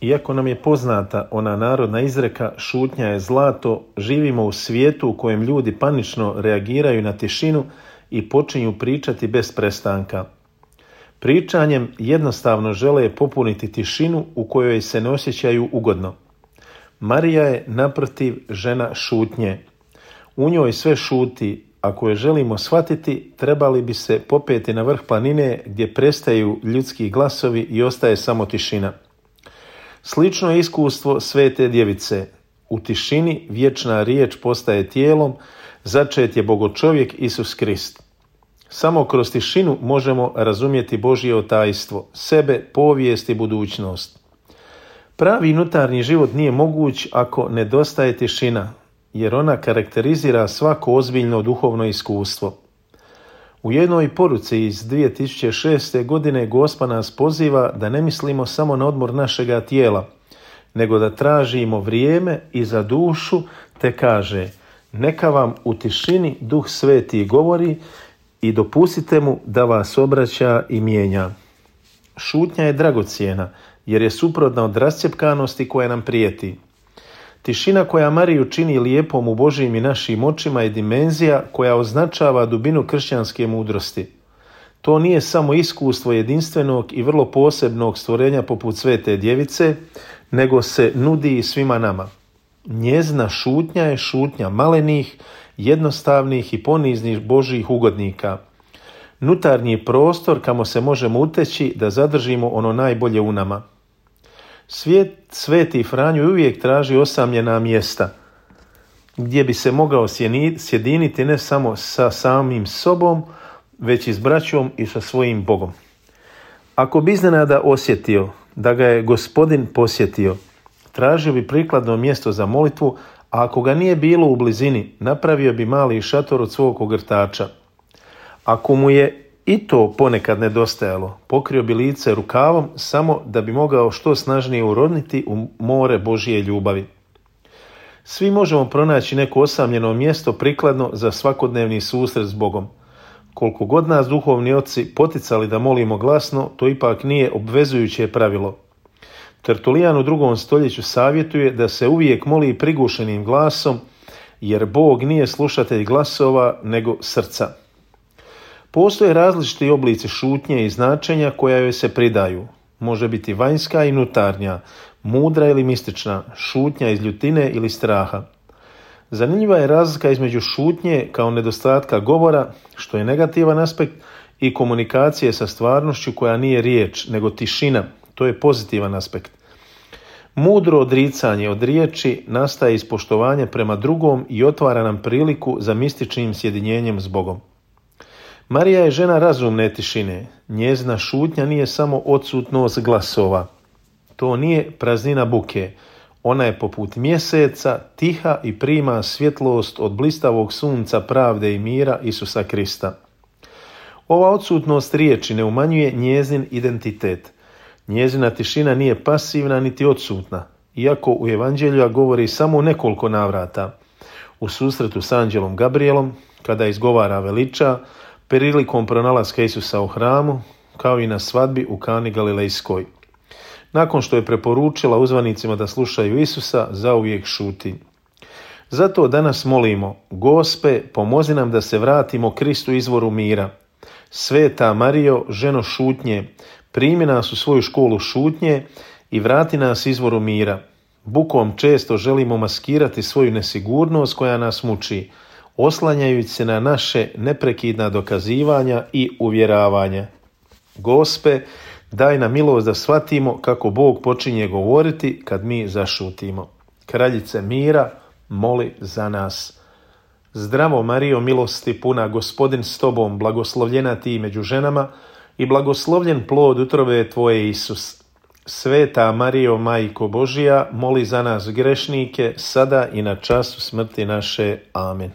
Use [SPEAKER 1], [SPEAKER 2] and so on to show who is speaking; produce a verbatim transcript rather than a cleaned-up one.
[SPEAKER 1] Iako nam je poznata ona narodna izreka šutnja je zlato, živimo u svijetu u kojem ljudi panično reagiraju na tišinu i počinju pričati bez prestanka. Pričanjem jednostavno žele popuniti tišinu u kojoj se ne osjećaju ugodno. Marija je naprotiv žena šutnje. U njoj sve šuti. Ako je želimo shvatiti, trebali bi se popeti na vrh planine gdje prestaju ljudski glasovi i ostaje samo tišina. Slično je iskustvo Svete Djevice. U tišini vječna riječ postaje tijelom, začet je bogočovjek Isus Krist. Samo kroz tišinu možemo razumjeti Božje otajstvo, sebe, povijest i budućnost. Pravi unutarnji život nije moguć ako nedostaje tišina, jer ona karakterizira svako ozbiljno duhovno iskustvo. U jednoj poruci iz dvije tisuće šeste. godine Gospa nas poziva da ne mislimo samo na odmor našega tijela, nego da tražimo vrijeme i za dušu, te kaže: neka vam u tišini Duh Sveti govori i dopustite mu da vas obraća i mijenja. Šutnja je dragocjena, jer je suprotna od rascjepkanosti koja nam prijeti. Tišina koja Mariju čini lijepom u Božjim i našim očima je dimenzija koja označava dubinu kršćanske mudrosti. To nije samo iskustvo jedinstvenog i vrlo posebnog stvorenja poput Svete Djevice, nego se nudi i svima nama. Njezina šutnja je šutnja malenih, jednostavnih i poniznih Božjih ugodnika. Nutarnji prostor kamo se možemo uteći da zadržimo ono najbolje u nama. Svijet, Sveti Franjo uvijek traži osamljena mjesta, gdje bi se mogao sjediniti ne samo sa samim sobom, već i s braćom i sa svojim Bogom. Ako bi iznenada osjetio da ga je Gospodin posjetio, tražio bi prikladno mjesto za molitvu, a ako ga nije bilo u blizini, napravio bi mali šator od svog ogrtača. Ako mu je i to ponekad nedostajalo, pokrio bi lice rukavom samo da bi mogao što snažnije uroniti u more Božje ljubavi. Svi možemo pronaći neko osamljeno mjesto prikladno za svakodnevni susret s Bogom. Koliko god nas duhovni oci poticali da molimo glasno, to ipak nije obvezujuće pravilo. Tertulijan u drugom stoljeću savjetuje da se uvijek moli prigušenim glasom, jer Bog nije slušatelj glasova, nego srca. Postoje različiti oblici šutnje i značenja koja joj se pridaju. Može biti vanjska i unutarnja, mudra ili mistična, šutnja iz ljutine ili straha. Zanimljiva je razlika između šutnje kao nedostatka govora, što je negativan aspekt, i komunikacije sa stvarnošću koja nije riječ, nego tišina, to je pozitivan aspekt. Mudro odricanje od riječi nastaje iz poštovanja prema drugom i otvara nam priliku za mističnim sjedinjenjem s Bogom. Marija je žena razumne tišine. Njezina šutnja nije samo odsutnost glasova. To nije praznina buke. Ona je poput mjeseca, tiha i prima svjetlost od blistavog sunca pravde i mira Isusa Krista. Ova odsutnost riječi ne umanjuje njezin identitet. Njezina tišina nije pasivna niti odsutna, iako u Evanđelju govori samo u nekoliko navrata. U susretu s anđelom Gabrijelom, kada izgovara veliča, prilikom pronalaska Isusa u hramu, kao i na svadbi u Kani Galilejskoj. Nakon što je preporučila uzvanicima da slušaju Isusa, zauvijek šuti. Zato danas molimo: Gospe, pomozi nam da se vratimo Kristu izvoru mira. Sveta Marijo, ženo šutnje, primi nas u svoju školu šutnje i vrati nas izvoru mira. Bukom često želimo maskirati svoju nesigurnost koja nas muči, oslanjajući se na naše neprekidna dokazivanja i uvjeravanja. Gospe, daj nam milost da shvatimo kako Bog počinje govoriti kad mi zašutimo. Kraljice mira, moli za nas. Zdravo Marijo, milosti puna, Gospodin s tobom, blagoslovljena ti među ženama i blagoslovljen plod utrobe tvoje Isus. Sveta Marijo, Majko Božija, moli za nas grešnike, sada i na času smrti naše. Amen.